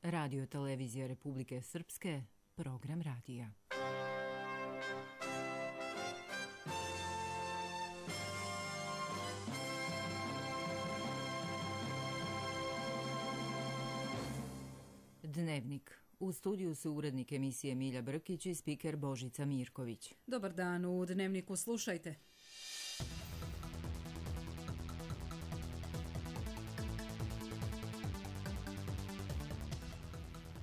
Radio televizija Republike Srpske, program radija. Dnevnik. U studiju su urednik emisije Milja Brkić i spiker Božica Mirković. Dobar dan, u Dnevniku slušajte.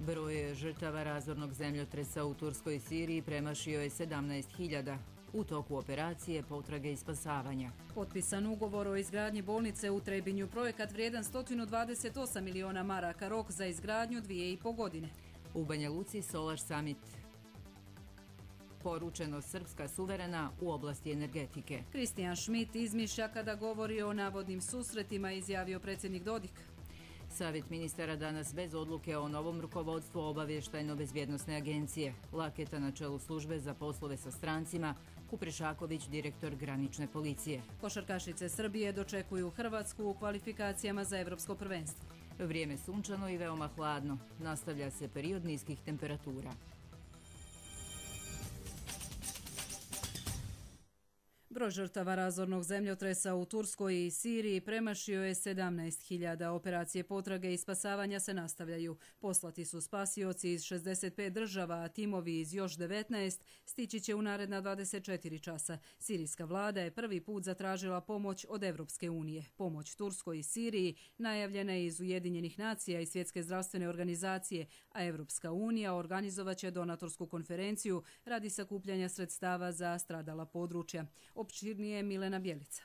Broj žrtava razornog zemljotresa u Turskoj i Siriji premašio je 17.000. U toku operacije potrage i spasavanja. Potpisan ugovor o izgradnji bolnice u Trebinju, projekat vrijedan 128 miliona maraka, rok za izgradnju 2,5 godine. U Banja Luci Solar Summit. Poručeno Srpska suverena u oblasti energetike. Kristijan Schmidt izmišlja kada govori o navodnim susretima, izjavio predsjednik Dodik. Savjet ministara danas bez odluke o novom rukovodstvu Obavještajno-bezbjednosne agencije. Laketa na čelu službe za poslove sa strancima, Kuprešaković, direktor granične policije. Košarkašice Srbije dočekuju Hrvatsku u kvalifikacijama za Evropsko prvenstvo. Vrijeme sunčano i veoma hladno. Nastavlja se period niskih temperatura. Broj žrtava razornog zemljotresa u Turskoj i Siriji premašio je 17.000. Operacije potrage i spasavanja se nastavljaju. Poslati su spasioci iz 65 država, a timovi iz još 19 stići će u naredna 24 časa. Sirijska vlada je prvi put zatražila pomoć od Evropske unije. Pomoć Turskoj i Siriji najavljena je iz Ujedinjenih nacija i Svjetske zdravstvene organizacije, a Evropska unija organizovaće donatorsku konferenciju radi sakupljanja sredstava za stradala područja. Opširnije Milena Bjelica.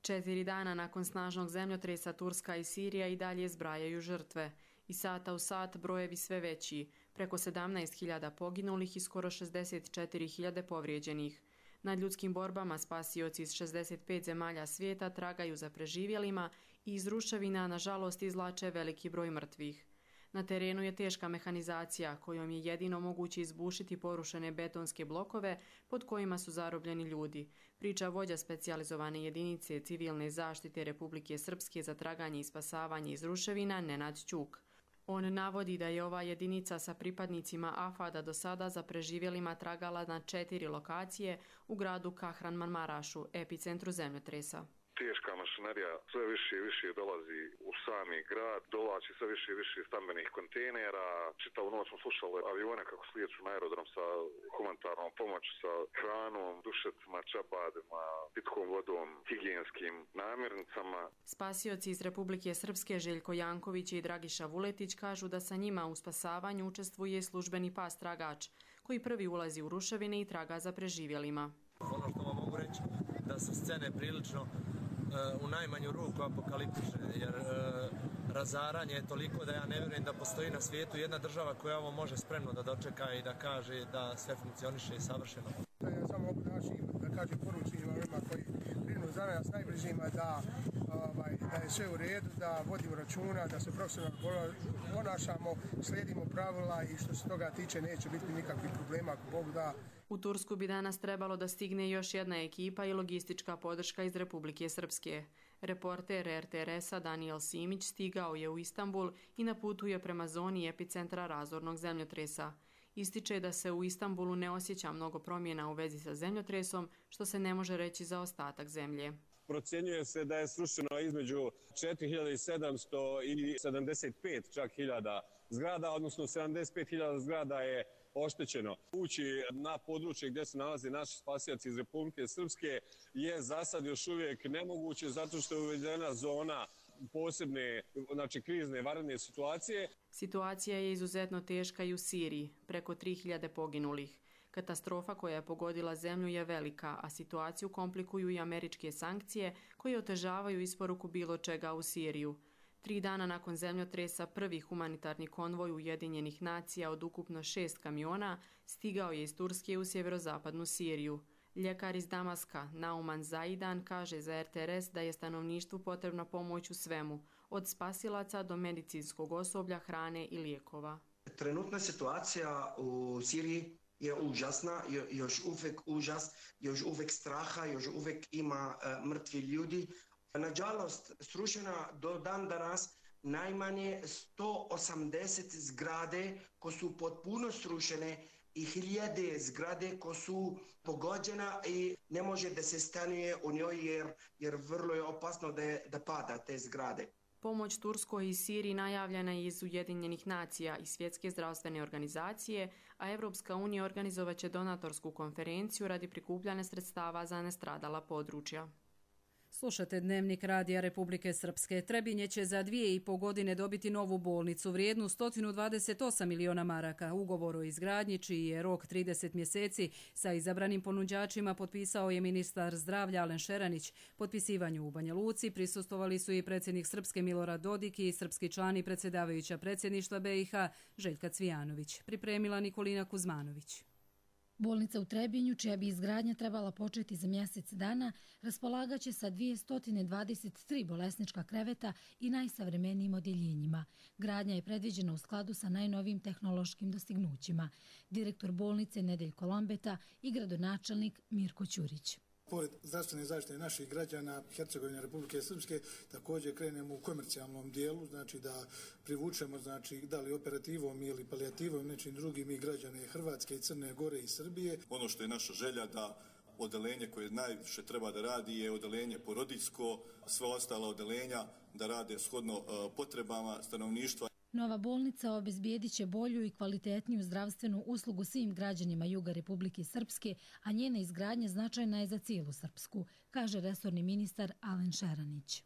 4 dana nakon snažnog zemljotresa Turska i Sirija i dalje zbrajaju žrtve. Iz sata u sat brojevi sve veći, preko 17.000 poginulih i skoro 64.000 povrijeđenih. Na ljudskim borbama spasioci iz 65 zemalja svijeta tragaju za preživjelima i iz ruševina nažalost izvlače veliki broj mrtvih. Na terenu je teška mehanizacija kojom je jedino moguće izbušiti porušene betonske blokove pod kojima su zarobljeni ljudi, priča vođa specijalizovane jedinice civilne zaštite Republike Srpske za traganje i spasavanje iz ruševina Nenad Ćuk. On navodi da je ova jedinica sa pripadnicima AFAD-a do sada za preživjelima tragala na 4 lokacije u gradu Kahramanmarašu, epicentru zemljotresa. Teška mašinerija sve više i više dolazi u sami grad, dolazi sve više i više stambenih kontejnera. Čitavu noć smo slušali avione kako slijeću na aerodrom sa humanitarnom pomoći, sa hranom, dušecima, čabadima, pitkom vodom, higijenskim namirnicama. Spasioci iz Republike Srpske Željko Janković i Dragiša Vuletić kažu da sa njima u spasavanju učestvuje službeni pas tragač, koji prvi ulazi u ruševine i traga za preživjelima. Ono što vam mogu reći da su scene prilično u najmanju ruku apokaliptične, jer razaranje je toliko da ja ne vjerujem da postoji na svijetu jedna država koja ovo može spremno da dočeka i da kaže da sve funkcioniše i savršeno. Ja samo da kažem poručujemo onima koji brinu za nas najbližima da je sve u redu, da vodimo računa, da se profesionalno ponašamo, slijedimo pravila i što se toga tiče neće biti nikakvih problema ako Bog da. U Tursku bi danas trebalo da stigne još jedna ekipa i logistička podrška iz Republike Srpske. Reporter RTRS-a Daniel Simić stigao je u Istanbul i na putu je prema zoni epicentra razornog zemljotresa. Ističe da se u Istanbulu ne osjeća mnogo promjena u vezi sa zemljotresom, što se ne može reći za ostatak zemlje. Procjenjuje se da je srušeno između 4700 i 75 čak hiljada zgrada, odnosno 75.000 zgrada je oštećeno. Ući na područje gdje se nalaze naši spasioci iz Republike Srpske je za sad još uvijek nemoguće zato što je uvedena zona posebne, znači krizne, vanredne situacije. Situacija je izuzetno teška i u Siriji, preko 3.000 poginulih. Katastrofa koja je pogodila zemlju je velika, a situaciju komplikuju i američke sankcije koje otežavaju isporuku bilo čega u Siriju. 3 dana nakon zemljotresa prvi humanitarni konvoj Ujedinjenih nacija od ukupno 6 kamiona stigao je iz Turske u sjeverozapadnu Siriju. Ljekar iz Damaska, Nauman Zaidan, kaže za RTRS da je stanovništvu potrebna pomoć u svemu, od spasilaca do medicinskog osoblja, hrane i lijekova. Trenutna situacija u Siriji je užasna, još uvijek užas, još uvijek straha, još uvijek ima mrtvi ljudi. Nažalost, srušena do dan danas najmanje 180 zgrade koje su potpuno srušene i hiljade zgrade koje su pogođena i ne može da se stanuje u njoj jer vrlo je opasno da pada te zgrade. Pomoć Turskoj i Siriji najavljena je iz Ujedinjenih nacija i Svjetske zdravstvene organizacije, a Evropska unija organizovaće donatorsku konferenciju radi prikupljanja sredstava za nestradala područja. Slušate Dnevnik Radija Republike Srpske. Trebinje će za 2,5 godine dobiti novu bolnicu vrijednu 128 miliona maraka. Ugovor o izgradnji, čiji je rok 30 mjeseci, sa izabranim ponuđačima potpisao je ministar zdravlja Alen Šeranić. Potpisivanju u Banja Luci prisustvovali su i predsjednik Srpske Milorad Dodik i srpski član i predsjedavajuća predsjedništva BiH Željka Cvijanović. Pripremila Nikolina Kuzmanović. Bolnica u Trebinju, čija bi izgradnja trebala početi za mjesec dana, raspolagaće sa 223 bolesnička kreveta i najsavremenijim odjeljenjima. Gradnja je predviđena u skladu sa najnovijim tehnološkim dostignućima. Direktor bolnice Nedeljko Lombeta i gradonačelnik Mirko Ćurić. Pored zdravstvene zaštite naših građana Hercegovine Republike Srpske, također krenemo u komercijalnom dijelu, znači da privučemo, znači da li operativom ili palijativom, nečim drugim i građane Hrvatske i Crne Gore i Srbije. Ono što je naša želja da odelenje koje najviše treba da radi je odelenje porodiljsko, sve ostala odelenja da rade shodno potrebama stanovništva. Nova bolnica obezbijedit će bolju i kvalitetniju zdravstvenu uslugu svim građanima juga Republike Srpske, a njena izgradnja značajna je za cijelu Srpsku, kaže resorni ministar Alen Šeranić.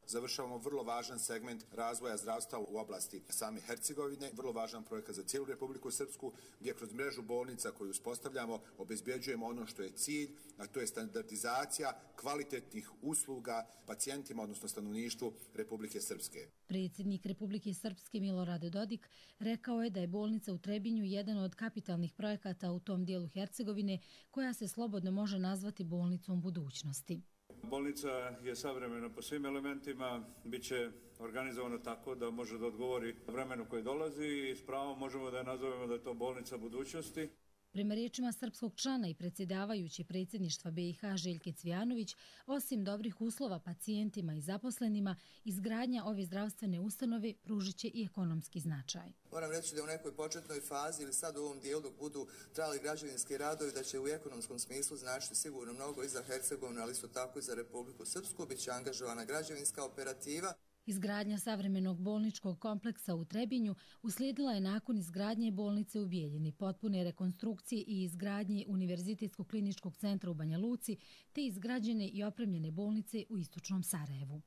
Završavamo vrlo važan segment razvoja zdravstva u oblasti same Hercegovine, vrlo važan projekat za cijelu Republiku Srpsku, gdje kroz mrežu bolnica koju uspostavljamo obezbjeđujemo ono što je cilj, a to je standardizacija kvalitetnih usluga pacijentima, odnosno stanovništvu Republike Srpske. Predsjednik Republike Srpske Milorad Dodik rekao je da je bolnica u Trebinju jedan od kapitalnih projekata u tom dijelu Hercegovine, koja se slobodno može nazvati bolnicom budućnosti. Bolnica je savremena po svim elementima, bit će organizovana tako da može da odgovori vremenu koje dolazi i s pravom možemo da je nazovemo da je to bolnica budućnosti. Prema riječima srpskog člana i predsjedavajući predsjedništva BiH Željke Cvijanović, osim dobrih uslova pacijentima i zaposlenima, izgradnja ove zdravstvene ustanove pružit će i ekonomski značaj. Moram reći da u nekoj početnoj fazi ili sad u ovom dijelu dok budu trajali građevinski radovi, da će u ekonomskom smislu značiti sigurno mnogo i za Hercegovinu, ali isto tako i za Republiku Srpsku. Biće angažovana građevinska operativa. Izgradnja savremenog bolničkog kompleksa u Trebinju uslijedila je nakon izgradnje bolnice u Bijeljini, potpune rekonstrukcije i izgradnje Univerzitetskog kliničkog centra u Banja Luci, te izgrađene i opremljene bolnice u istočnom Sarajevu.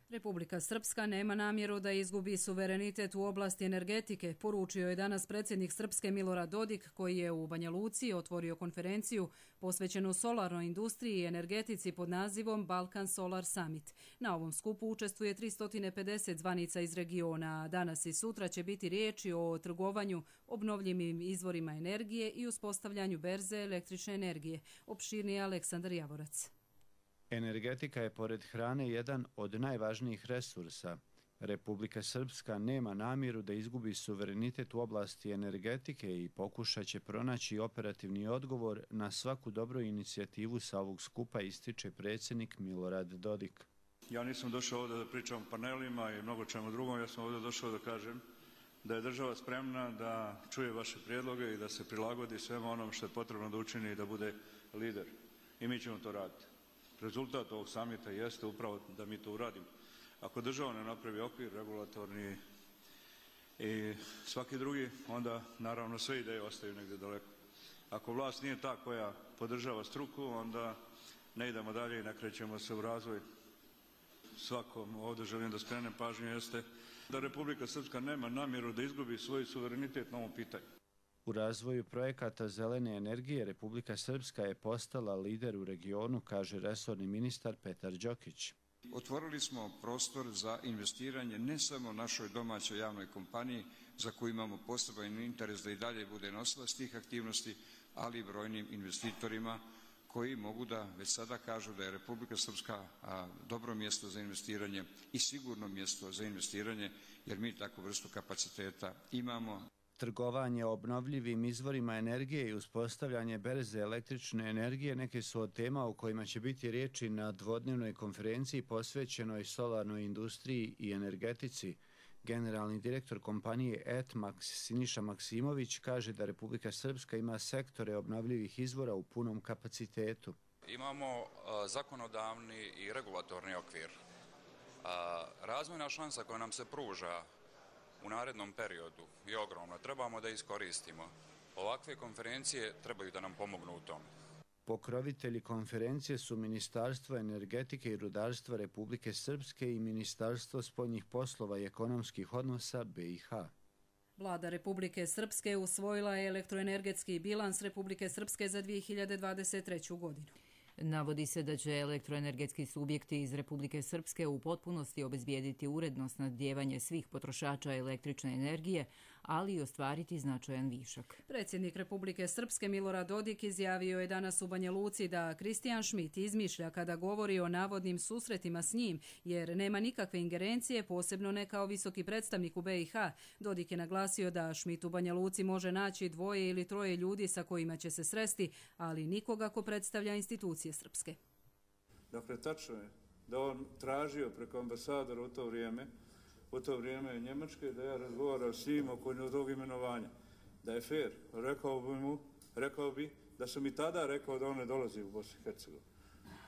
Republika Srpska nema namjeru da izgubi suverenitet u oblasti energetike, poručio je danas predsjednik Srpske Milorad Dodik, koji je u Banja Luci otvorio konferenciju posvećenu solarnoj industriji i energetici pod nazivom Balkan Solar Summit. Na ovom skupu učestvuje 350 zvanica iz regiona, a danas i sutra će biti riječi o trgovanju obnovljivim izvorima energije i uspostavljanju berze električne energije. Opširnije Aleksandar Javorac. Energetika je pored hrane jedan od najvažnijih resursa. Republika Srpska nema namjeru da izgubi suverenitet u oblasti energetike i pokušat će pronaći operativni odgovor na svaku dobru inicijativu sa ovog skupa, ističe predsjednik Milorad Dodik. Ja nisam došao ovdje da pričam o panelima i mnogo čemu drugom, ja sam ovdje došao da kažem da je država spremna da čuje vaše prijedloge i da se prilagodi svema onom što je potrebno da učini i da bude lider. I mi ćemo to raditi. Rezultat ovog samita jeste upravo da mi to uradimo. Ako država ne napravi okvir regulatorni i svaki drugi, onda naravno sve ideje ostaju negdje daleko. Ako vlast nije ta koja podržava struku, onda ne idemo dalje i ne krećemo se u razvoj. Svakom ovdje želim da skrenem pažnju jeste da Republika Srpska nema namjeru da izgubi svoj suverenitet na ovom pitanju. U razvoju projekata zelene energije Republika Srpska je postala lider u regionu, kaže resorni ministar Petar Đokić. Otvorili smo prostor za investiranje ne samo našoj domaćoj javnoj kompaniji, za koju imamo poseban interes da i dalje bude nosilac tih aktivnosti, ali i brojnim investitorima koji mogu da već sada kažu da je Republika Srpska dobro mjesto za investiranje i sigurno mjesto za investiranje, jer mi takvu vrstu kapaciteta imamo. Trgovanje obnovljivim izvorima energije i uspostavljanje berze električne energije neke su od tema o kojima će biti riječi na dvodnevnoj konferenciji posvećenoj solarnoj industriji i energetici. Generalni direktor kompanije Etmax Siniša Maksimović kaže da Republika Srpska ima sektore obnovljivih izvora u punom kapacitetu. Imamo zakonodavni i regulatorni okvir. Razvojna šansa koja nam se pruža u narednom periodu je ogromna. Trebamo da iskoristimo. Ovakve konferencije trebaju da nam pomognu u tome. Pokrovitelji konferencije su Ministarstvo energetike i rudarstva Republike Srpske i Ministarstvo spoljnih poslova i ekonomskih odnosa BiH. Vlada Republike Srpske usvojila je elektroenergetski bilans Republike Srpske za 2023. godinu. Navodi se da će elektroenergetski subjekti iz Republike Srpske u potpunosti obezbijediti uredno snabdijevanje svih potrošača električne energije, ali i ostvariti značajan višak. Predsjednik Republike Srpske Milorad Dodik izjavio je danas u Banja Luci da Kristijan Schmidt izmišlja kada govori o navodnim susretima s njim, jer nema nikakve ingerencije, posebno ne kao visoki predstavnik u BiH. Dodik je naglasio da Schmidt u Banja Luci može naći 2 ili 3 ljudi sa kojima će se sresti, ali nikoga ko predstavlja institucije srpske. Dakle, tačno je da on tražio preko ambasadora u to vrijeme Njemačke, da ja razgovaram s njim oko tog imenovanja. Da je fair, rekao bi da sam i tada rekao da on ne dolazi u Bosnu i Hercegovinu.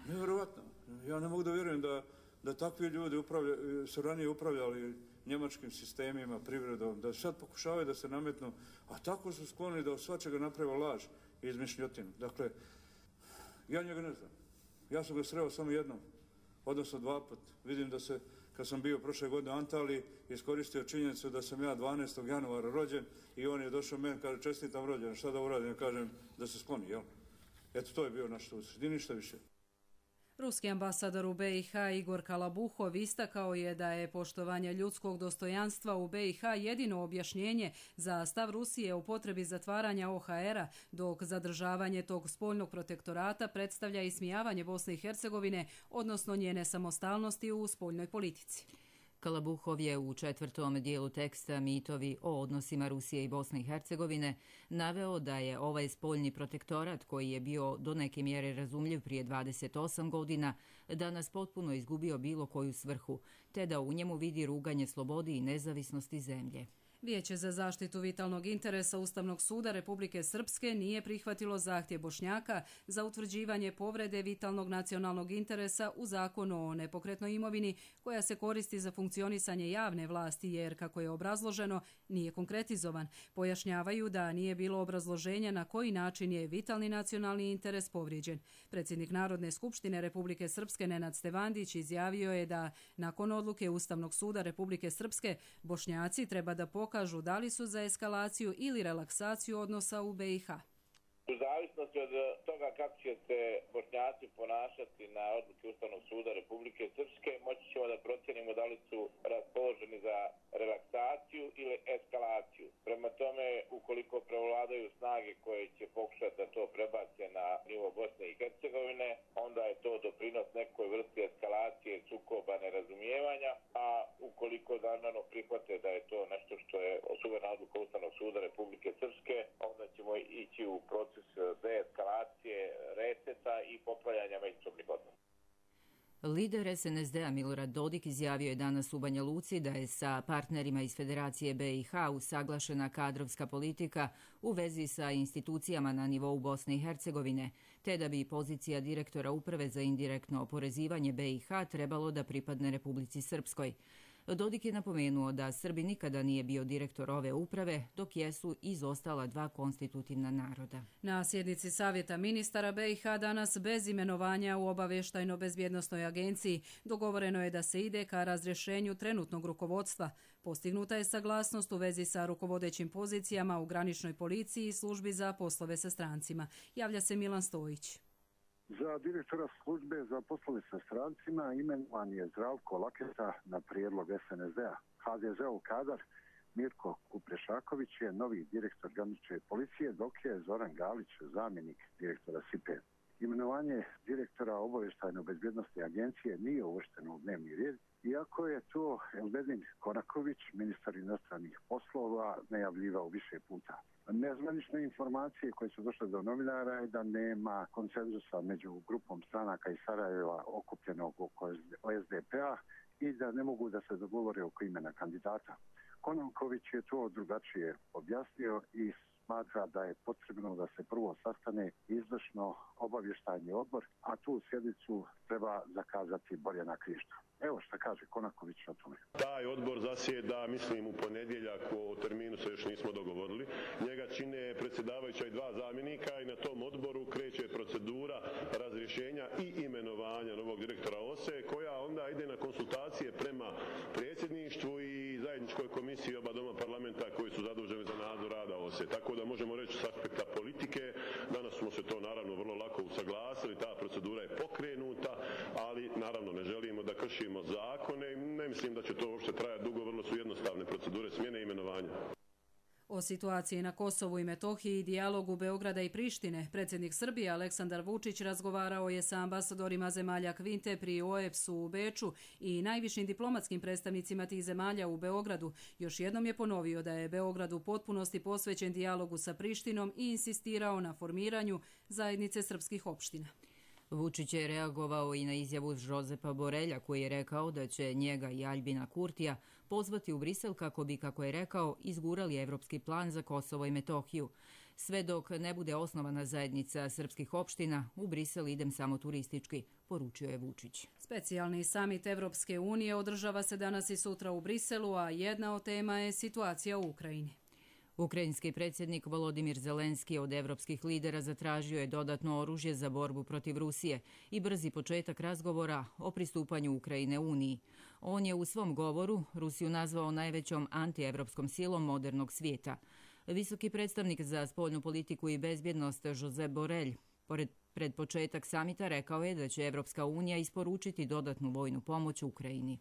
Nevjerovatno. Ja ne mogu da vjerujem da takvi ljudi su ranije upravljali njemačkim sistemima, privredom, da sad pokušavaju da se nametnu, a tako su skloni da od svačega naprave laž i izmišljotinu. Dakle, ja njega ne znam. Ja sam ga sreo samo jednom, odnosno 2 puta. Vidim da se, kad sam bio prošle godine u Antaliji, iskoristio činjenicu da sam ja 12. januara rođen i on je došao meni, kaže, čestitam rođen, šta da uradim, ja kažem da se skloni, jel? Eto, to je bio naš susret, i ništa više. Ruski ambasador u BiH Igor Kalabuhov istakao je da je poštovanje ljudskog dostojanstva u BiH jedino objašnjenje za stav Rusije o potrebi zatvaranja OHR-a, dok zadržavanje tog spoljnog protektorata predstavlja ismijavanje Bosne i Hercegovine, odnosno njene samostalnosti u spoljnoj politici. Kalabuhov je u 4. dijelu teksta Mitovi o odnosima Rusije i Bosne i Hercegovine naveo da je ovaj spoljni protektorat, koji je bio do neke mjere razumljiv prije 28 godina, danas potpuno izgubio bilo koju svrhu, te da u njemu vidi ruganje slobodi i nezavisnosti zemlje. Vijeće za zaštitu vitalnog interesa Ustavnog suda Republike Srpske nije prihvatilo zahtjev Bošnjaka za utvrđivanje povrede vitalnog nacionalnog interesa u zakonu o nepokretnoj imovini koja se koristi za funkcionisanje javne vlasti jer, kako je obrazloženo, nije konkretizovan. Pojašnjavaju da nije bilo obrazloženja na koji način je vitalni nacionalni interes povrijeđen. Predsjednik Narodne skupštine Republike Srpske Nenad Stevandić izjavio je da nakon odluke Ustavnog suda Republike Srpske Bošnjaci treba da pokažu da li su za eskalaciju ili relaksaciju odnosa u BiH. U zavisnosti od toga kako će se Bošnjaci ponašati na odluke Ustavnog suda Republike Srpske, moći ćemo da procijenimo da li su raspoloženi za relaksaciju ili eskalaciju. Prema tome, ukoliko prevladaju snage koje će pokušati da to prebace na nivo Bosne i Hercegovine, onda je to doprinos nekoj vrsti eskalacije, sukoba, nerazumijevanja, a ukoliko naravno prihvate da je to nešto što je suverena odluka Ustavnog suda Republike Srpske, onda ćemo ići u proces deeskalacije, reseta i popravljanja međusobnih odnosa. Lider SNSD-a Milorad Dodik izjavio je danas u Banja Luci da je sa partnerima iz Federacije BiH usaglašena kadrovska politika u vezi sa institucijama na nivou Bosne i Hercegovine, te da bi pozicija direktora Uprave za indirektno oporezivanje BiH trebalo da pripadne Republici Srpskoj. Dodik je napomenuo da Srbi nikada nije bio direktor ove uprave, dok jesu izostala 2 konstitutivna naroda. Na sjednici Savjeta ministara BiH danas bez imenovanja u obavještajno-bezbjednosnoj agenciji dogovoreno je da se ide ka razrješenju trenutnog rukovodstva. Postignuta je saglasnost u vezi sa rukovodećim pozicijama u graničnoj policiji i službi za poslove sa strancima. Javlja se Milan Stojić. Za direktora službe za poslove sa strancima imenovan je Zdravko Laketa na prijedlog SNSD-a. HDZ-ov kadar Mirko Kuprešaković je novi direktor granične policije, dok je Zoran Galić zamjenik direktora SIPE. Imenovanje direktora obavještajno-bezbjednosne agencije nije uvršteno u dnevni red, iako je to Elbedin Konaković, ministar inostranih poslova, najavljivao više puta. Nezvanične informacije koje su došle do novinara je da nema konsenzusa među grupom stranaka iz Sarajeva okupljenog oko SDP-a i da ne mogu da se dogovore oko imena kandidata. Kononković je to drugačije objasnio i smatra da je potrebno da se prvo sastane izvršno obavještajni odbor, a tu sjednicu treba zakazati Borjana Krišto. Evo šta kaže Konaković o tome. Taj odbor zasjeda, mislim, u ponedjeljak, o terminu se još nismo dogovorili. Njega čine predsjedavajuća i 2 zamjenika i na tom odboru kreće procedura razrješenja i imenovanja novog direktora OSE, koja onda ide na konsultacije prema predsjedništvu i zajedničkoj komisiji oba doma parlamenta koji su zaduženi za nadzor rada OSE. Tako da možemo reći s aspekta politike, danas smo se to naravno vrlo lako usaglasili, ta procedura je pokrenuta, ali naravno ne želimo da kršimo zakone i ne mislim da će to uopšte trajati dugo, vrlo su jednostavne procedure smjene i imenovanja. O situaciji na Kosovu i Metohiji i dijalogu Beograda i Prištine, predsjednik Srbije Aleksandar Vučić razgovarao je sa ambasadorima zemalja Kvinte pri OEBS-u u Beču i najvišim diplomatskim predstavnicima tih zemalja u Beogradu. Još jednom je ponovio da je Beograd u potpunosti posvećen dijalogu sa Prištinom i insistirao na formiranju zajednice srpskih opština. Vučić je reagovao i na izjavu Žozepa Borelja koji je rekao da će njega i Aljbina Kurtija pozvati u Brisel kako bi, kako je rekao, izgurali evropski plan za Kosovo i Metohiju. Sve dok ne bude osnovana zajednica srpskih opština, u Brisel idem samo turistički, poručio je Vučić. Specijalni samit Evropske unije održava se danas i sutra u Briselu, a jedna od tema je situacija u Ukrajini. Ukrajinski predsjednik Volodimir Zelenski od evropskih lidera zatražio je dodatno oružje za borbu protiv Rusije i brzi početak razgovora o pristupanju Ukrajine Uniji. On je u svom govoru Rusiju nazvao najvećom antievropskom silom modernog svijeta. Visoki predstavnik za spoljnu politiku i bezbjednost Josep Borrell pred početak samita rekao je da će Evropska unija isporučiti dodatnu vojnu pomoć Ukrajini.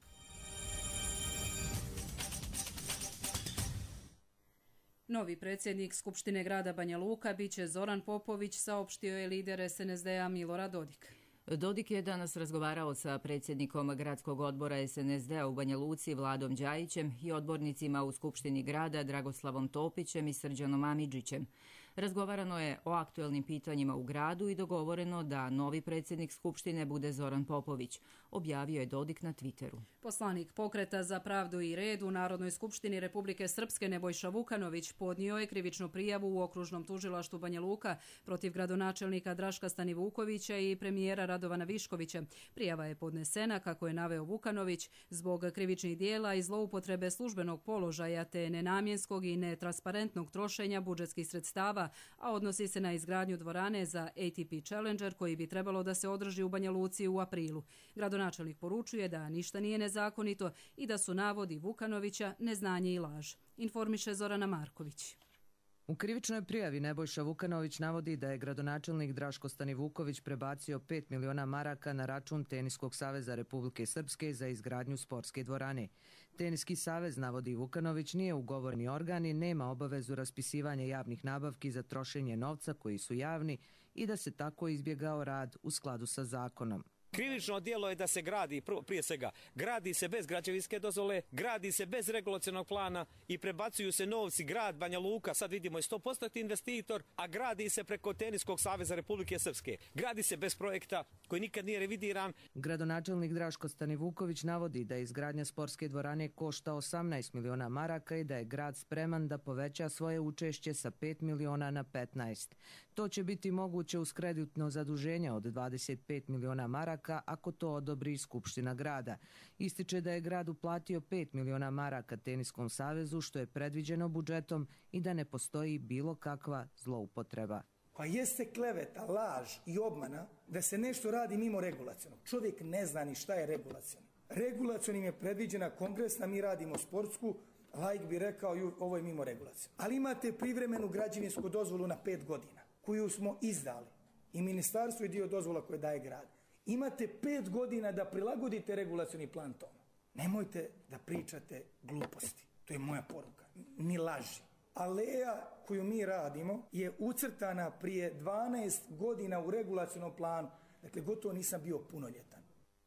Novi predsjednik Skupštine grada Banja Luka biće Zoran Popović, saopštio je lider SNSD-a Milorad Dodik. Dodik je danas razgovarao sa predsjednikom gradskog odbora SNSD-a u Banja Luci Vladom Đajićem i odbornicima u Skupštini grada Dragoslavom Topićem i Srđanom Amidžićem. Razgovarano je o aktuelnim pitanjima u gradu i dogovoreno da novi predsjednik Skupštine bude Zoran Popović, objavio je Dodik na Twitteru. Poslanik Pokreta za pravdu i red u Narodnoj skupštini Republike Srpske Nebojša Vukanović podnio je krivičnu prijavu u okružnom tužilaštvu Banja Luka protiv gradonačelnika Draška Stanivukovića i premijera Radovana Viškovića. Prijava je podnesena, kako je naveo Vukanović, zbog krivičnih dijela i zloupotrebe službenog položaja te nenamjenskog i netransparentnog trošenja budžetskih sredstava, a odnosi se na izgradnju dvorane za ATP Challenger koji bi trebalo da se održi u Banja Luci u aprilu. Gradonačelnik poručuje da ništa nije nezakonito i da su navodi Vukanovića neznanje i laž. Informiše Zorana Marković. U krivičnoj prijavi Nebojša Vukanović navodi da je gradonačelnik Draško Stanivuković prebacio 5 miliona maraka na račun Teniskog saveza Republike Srpske za izgradnju sportske dvorane. Teniski savez, navodi Vukanović, nije ugovorni organ i nema obavezu raspisivanja javnih nabavki za trošenje novca koji su javni i da se tako izbjegao rad u skladu sa zakonom. Krivično djelo je da se gradi, prije svega, gradi se bez građevinske dozvole, gradi se bez regulacionog plana i prebacuju se novci. Grad Banja Luka, sad vidimo, je 100% investitor, a gradi se preko Teniskog saveza Republike Srpske. Gradi se bez projekta koji nikad nije revidiran. Gradonačelnik Draško Stanivuković navodi da izgradnja sportske dvorane košta 18 miliona maraka i da je grad spreman da poveća svoje učešće sa 5 miliona na 15. To će biti moguće uz kreditno zaduženje od 25 miliona maraka ako to odobri Skupština grada. Ističe da je grad uplatio 5 miliona maraka Teniskom savezu, što je predviđeno budžetom, i da ne postoji bilo kakva zloupotreba. Pa jeste kleveta, laž i obmana da se nešto radi mimo regulacionog. Čovjek ne zna ni šta je regulacioni. Regulacionim je predviđena kongresna, mi radimo sportsku, laik bi rekao ovo je mimo regulaciona. Ali imate privremenu građevinsku dozvolu na 5 godina, koju smo izdali. I ministarstvo je dio dozvola koje daje grad. Imate 5 godina da prilagodite regulacioni plan tome. Nemojte da pričate gluposti. To je moja poruka. Ni laži. Aleja koju mi radimo je ucrtana prije 12 godina u regulacionom planu. Dakle, gotovo nisam bio punoljetan.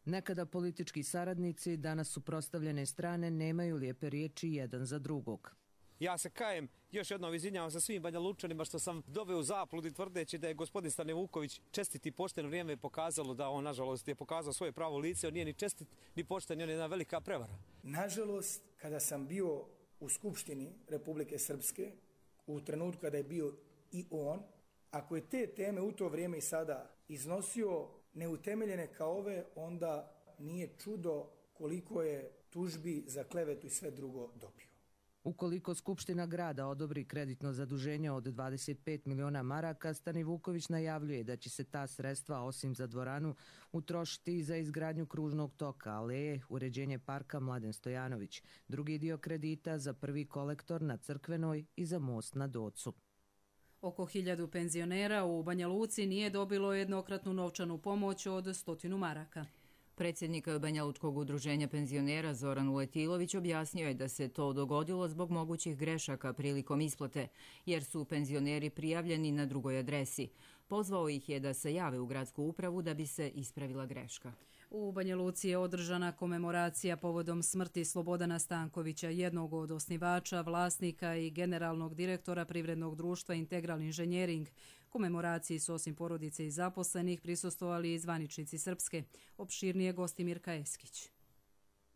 Nekada politički saradnici, danas suprotstavljene strane, nemaju lijepe riječi jedan za drugog. Ja se kajem, još jednom izvinjavam se svim Banja Lučanima što sam doveo u zabludi tvrdeći da je gospodin Stane Vuković čestit i pošten. Vrijeme je pokazalo da on, nažalost, je pokazao svoje pravo lice. On nije ni čestit, ni pošten, on je jedna velika prevara. Nažalost, kada sam bio u Skupštini Republike Srpske, u trenutku kada je bio i on, ako je te teme u to vrijeme i sada iznosio neutemeljene kao ove, onda nije čudo koliko je tužbi za klevetu i sve drugo dobio. Ukoliko Skupština grada odobri kreditno zaduženje od 25 miliona maraka, Stani Vuković najavljuje da će se ta sredstva, osim za dvoranu, utrošiti i za izgradnju kružnog toka, aleje, uređenje parka Mladen Stojanović, drugi dio kredita za prvi kolektor na Crkvenoj i za most na Docu. Oko 1000 penzionera u Banja Luci nije dobilo jednokratnu novčanu pomoć od 100 maraka. Predsjednik Banja Lučkog udruženja penzionera Zoran Uletilović objasnio je da se to dogodilo zbog mogućih grešaka prilikom isplate, jer su penzioneri prijavljeni na drugoj adresi. Pozvao ih je da se jave u gradsku upravu da bi se ispravila greška. U Banja Luci je održana komemoracija povodom smrti Slobodana Stankovića, jednog od osnivača, vlasnika i generalnog direktora privrednog društva Integral Inženjering. Komemoraciji su osim porodice i zaposlenih prisustvovali i zvaničnici Srpske. Opširnije gosti Mirka Eskić.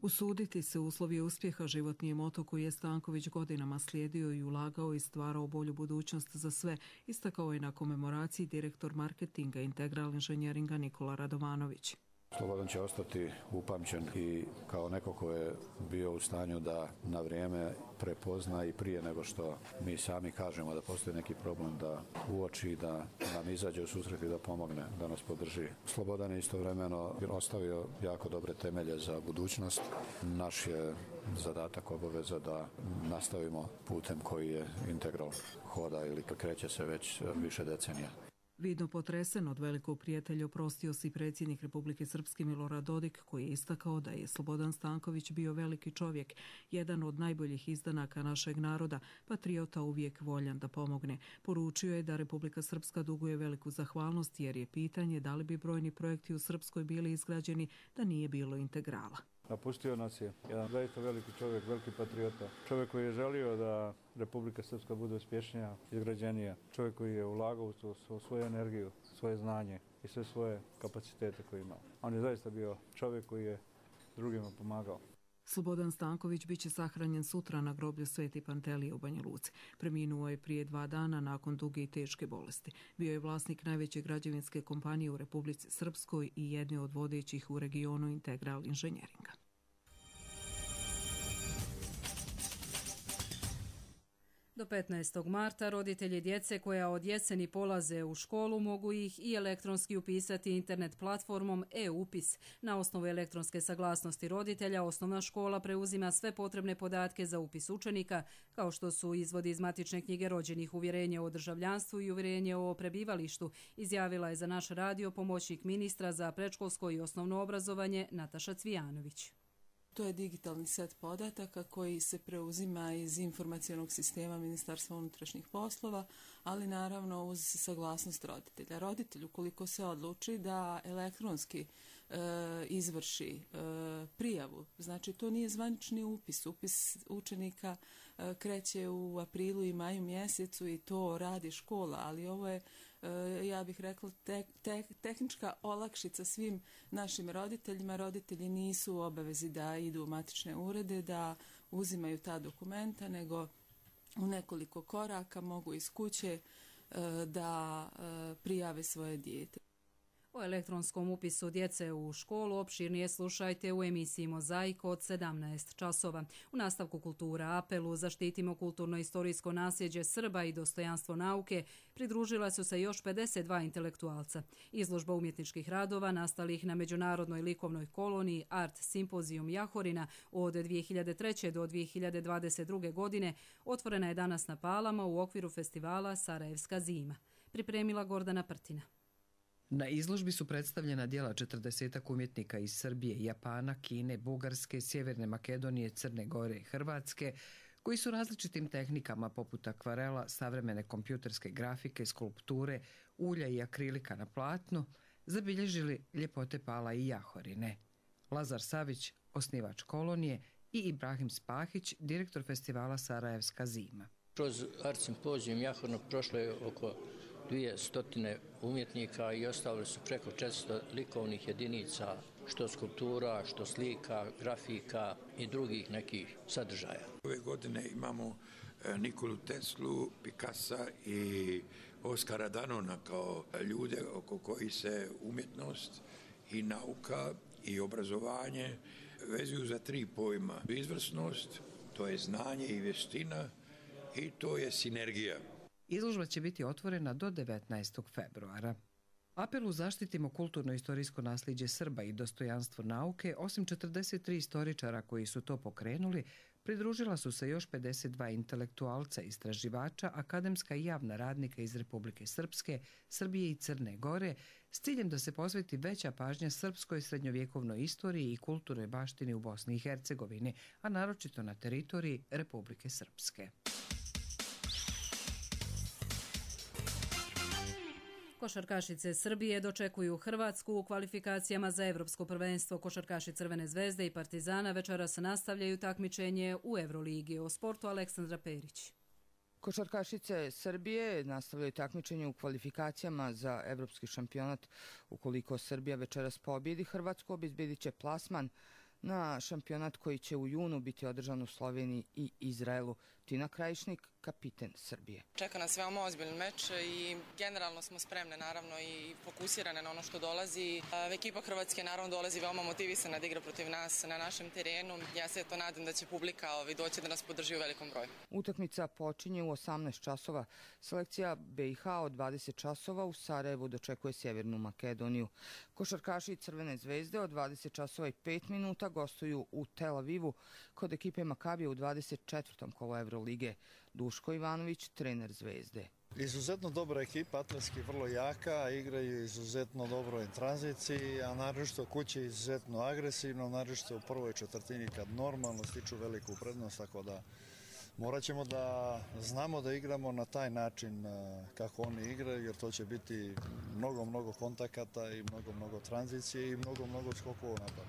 Usuditi se uslovi uspjeha životni je moto koji je Stanković godinama slijedio i ulagao i stvarao bolju budućnost za sve, istakao je na komemoraciji direktor marketinga Integral Inženjeringa Nikola Radovanović. Slobodan će ostati upamćen i kao neko ko je bio u stanju da na vrijeme prepozna i prije nego što mi sami kažemo da postoji neki problem, da uoči, da nam izađe u susret i da pomogne, da nas podrži. Slobodan je istovremeno ostavio jako dobre temelje za budućnost. Naš je zadatak, obaveza da nastavimo putem koji je Integral hoda ili kreće se već više decenija. Vidno potresen od velikog prijatelja oprostio se i predsjednik Republike Srpske Milorad Dodik, koji je istakao da je Slobodan Stanković bio veliki čovjek, jedan od najboljih izdanaka našeg naroda, patriota uvijek voljan da pomogne. Poručio je da Republika Srpska duguje veliku zahvalnost jer je pitanje da li bi brojni projekti u Srpskoj bili izgrađeni da nije bilo Integrala. Napustio nas je jedan zaista veliki čovjek, veliki patriota. Čovjek koji je želio da Republika Srpska bude uspješnija, izgrađenija. Čovjek koji je ulagao u svoju energiju, svoje znanje i sve svoje kapacitete koje ima. On je zaista bio čovjek koji je drugima pomagao. Slobodan Stanković biće sahranjen sutra na groblju Sveti Pantelije u Banja Luci. Preminuo je prije 2 dana nakon duge i teške bolesti. Bio je vlasnik najveće građevinske kompanije u Republici Srpskoj i jedne od vodećih u regionu Integral Inženjeringa. Do 15. marta roditelji djece koja od jeseni polaze u školu mogu ih i elektronski upisati internet platformom e-upis. Na osnovu elektronske saglasnosti roditelja osnovna škola preuzima sve potrebne podatke za upis učenika, kao što su izvodi iz matične knjige rođenih, uvjerenje o državljanstvu i uvjerenje o prebivalištu, izjavila je za naš radio pomoćnik ministra za predškolsko i osnovno obrazovanje Nataša Cvijanović. To je digitalni set podataka koji se preuzima iz informacionog sistema Ministarstva unutrašnjih poslova, ali naravno uz saglasnost roditelja. Roditelj, ukoliko se odluči da elektronski izvrši prijavu, znači to nije zvanični upis. Upis učenika kreće u aprilu i maju mjesecu i to radi škola, ali ovo je, ja bih rekla, tehnička olakšica svim našim roditeljima. Roditelji nisu u obavezi da idu u matične urede, da uzimaju ta dokumenta, nego u nekoliko koraka mogu iz kuće da prijave svoje dijete. O elektronskom upisu djece u školu opširnije slušajte u emisiji Mozaik od 17 časova. U nastavku Kultura apelu Zaštitimo kulturno-istorijsko nasljeđe Srba i dostojanstvo nauke pridružila su se još 52 intelektualca. Izložba umjetničkih radova nastalih na Međunarodnoj likovnoj koloniji Art Simpozijum Jahorina od 2003. do 2022. godine otvorena je danas na Palama u okviru festivala Sarajevska zima. Pripremila Gordana Prtina. Na izložbi su predstavljena djela 40 umjetnika iz Srbije, Japana, Kine, Bugarske, Sjeverne Makedonije, Crne Gore i Hrvatske, koji su različitim tehnikama poput akvarela, savremene kompjuterske grafike, skulpture, ulja i akrilika na platnu zabilježili ljepote Pala i Jahorine. Lazar Savić, osnivač kolonije, i Ibrahim Spahić, direktor festivala Sarajevska zima. Kroz art simpozijum Jahorno prošlo je oko 200 umjetnika i ostavili su preko 400 likovnih jedinica, što skulptura, što slika, grafika i drugih nekih sadržaja. Ove godine imamo Nikolu Teslu, Picassa i Oskara Danona kao ljude oko koji se umjetnost i nauka i obrazovanje vezuju za 3 pojma. Izvrsnost, to je znanje i vještina i to je sinergija. Izložba će biti otvorena do 19. februara. Apelu Zaštitimo kulturno-istorijsko nasljeđe Srba i dostojanstvo nauke, osim 43 istoričara koji su to pokrenuli, pridružila su se još 52 intelektualca, istraživača, akademska i javna radnika iz Republike Srpske, Srbije i Crne Gore, s ciljem da se posveti veća pažnja srpskoj srednjovjekovnoj istoriji i kulturnoj baštini u Bosni i Hercegovini, a naročito na teritoriji Republike Srpske. Košarkašice Srbije dočekuju Hrvatsku u kvalifikacijama za Evropsko prvenstvo. Košarkaši Crvene zvezde i Partizana večeras nastavljaju takmičenje u Evroligi. O sportu Aleksandra Perić. Košarkašice Srbije nastavljaju takmičenje u kvalifikacijama za Evropski šampionat. Ukoliko Srbija večeras pobjedi Hrvatsku, obezbedit će plasman na šampionat koji će u junu biti održan u Sloveniji i Izraelu. Tina Krajišnik, kapiten Srbije. Čeka nas veoma ozbiljan meč i generalno smo spremne naravno i fokusirane na ono što dolazi. Ekipa Hrvatske naravno dolazi veoma motivisana da igra protiv nas na našem terenu. Ja se to nadam da će publika doći da nas podrži u velikom broju. Utakmica počinje u 18 časova. Selekcija BiH od 20 časova u Sarajevu dočekuje Sjevernu Makedoniju. Košarkaši Crvene zvezde od 20 časova i 5 minuta gostuju u Tel Avivu kod ekipe Makabija u 24. kolu Evrolige. Duško Ivanović, trener Zvezde. Izuzetno dobra ekipa, atletski vrlo jaka, igraju izuzetno dobro u tranziciji, a naročito kući izuzetno agresivno, naročito u prvoj četvrtini kad normalno stiču veliku prednost, tako da morat ćemo da znamo da igramo na taj način kako oni igraju, jer to će biti mnogo kontakata i mnogo tranzicije i mnogo skokova napad.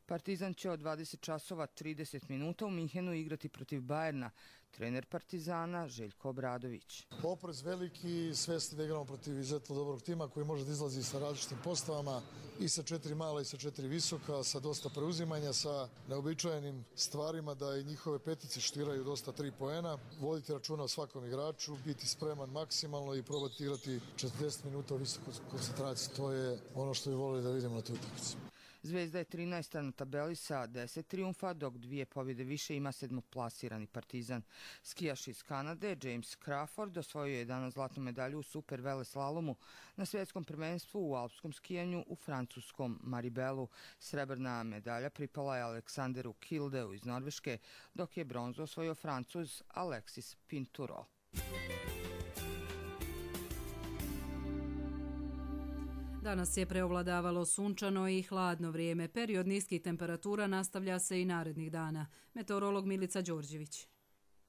Partizan će od 20 časova 30 minuta u Minhenu igrati protiv Bajerna. Trener Partizana Željko Obradović. Oprez veliki, svesni da igramo protiv izuzetno dobrog tima koji može da izlazi sa različitim postavama i sa 4 mala i sa 4 visoka, sa dosta preuzimanja, sa neobičajenim stvarima da i njihove petice štiraju dosta 3 poena. Voditi računa o svakom igraču, biti spreman maksimalno i probati igrati 40 minuta u visokoj koncentraciji. To je ono što bi volili da vidimo na toj utakmici. Zvezda je 13. na tabeli sa 10 trijumfa, dok 2 pobjede više ima 7. Partizan. Skijaš iz Kanade, James Crawford, osvojio je danas zlatnu medalju u super veleslalomu na svjetskom prvenstvu u alpskom skijanju u francuskom Maribelu. Srebrna medalja pripala je Aleksanderu Kildeu iz Norveške, dok je bronzu osvojio Francuz Alexis Pinturo. Danas je preovladavalo sunčano i hladno vrijeme. Period niskih temperatura nastavlja se i narednih dana. Meteorolog Milica Đorđević.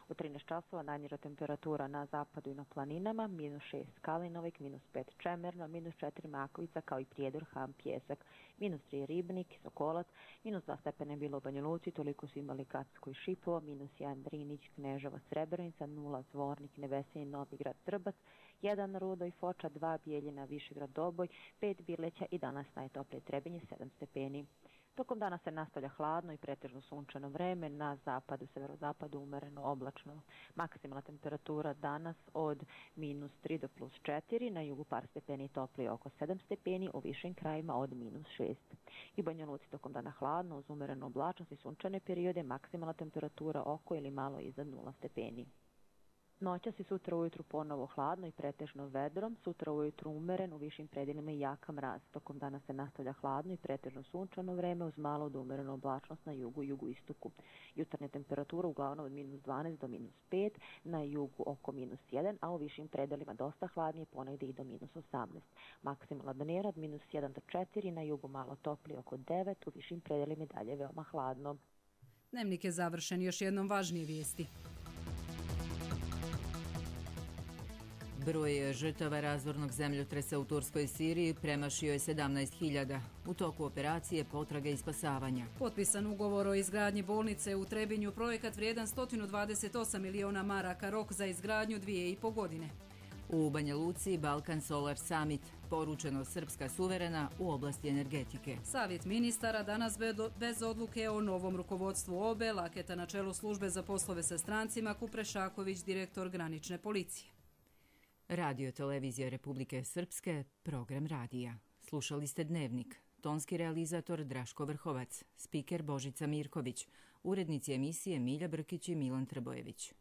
U 13 časova najniža temperatura na zapadu i na planinama, -6 Kalinovik, -5 Čemerno, -4 Makovica kao i Prijedor, Ham, Pjesak, -3 Ribnik, Sokolac, -2 stepene bilo u Banja Luci, toliko su imali Kacko i Šipovo, -1 Drinić, Kneževo, Srebrenica, 0 Zvornik, Nevesinje, Novigrad, Trbac, 1 Rudo i Foča, 2 Bijeljina, Višegrad, Doboj, 5 Birleća i danas najtoplije Trebinje, 7 stepeni. Tokom dana se nastavlja hladno i pretežno sunčano vreme, na zapadu, severozapadu umereno oblačno. Maksimalna temperatura danas od -3 do +4, na jugu par stepeni toplije oko 7 stepeni, u višim krajima od -6. I Banja Luci tokom dana hladno, uz umerenu oblačnost i sunčane periode, maksimalna temperatura oko ili malo iznad 0 stepeni. Noćas i sutra ujutru ponovo hladno i pretežno vedrom, sutra ujutru umeren, u višim predjelima i jaka mraz. Tokom dana se nastavlja hladno i pretežno sunčano vreme uz malo do umerenu oblačnost na jugu i jugoistoku. Jutarnja temperatura uglavnom od -12 do -5, na jugu oko -1, a u višim predjelima dosta hladnije, ponegdje i do -18. Maksimalna dnevna od -1 do 4, na jugu malo toplije oko 9, u višim predjelima i dalje veoma hladno. Dnevnik je završen, još jednom važnije vijesti. Broj žrtava razornog zemljotresa u Turskoj i Siriji premašio je 17.000. U toku operacije potrage i spasavanja. Potpisan ugovor o izgradnji bolnice u Trebinju, projekat vrijedan 128 miliona maraka, rok za izgradnju 2,5 godine. U Banja Luci Balkan Solar Summit, poručeno Srpska suverena u oblasti energetike. Savjet ministara danas bez odluke o novom rukovodstvu OBE, Laketa na čelu službe za poslove sa strancima, Kuprešaković, direktor granične policije. Radio televizija Republike Srpske, program radija. Slušali ste Dnevnik. Tonski realizator Draško Vrhovac, spiker Božica Mirković, urednici emisije Milja Brkić i Milan Trbojević.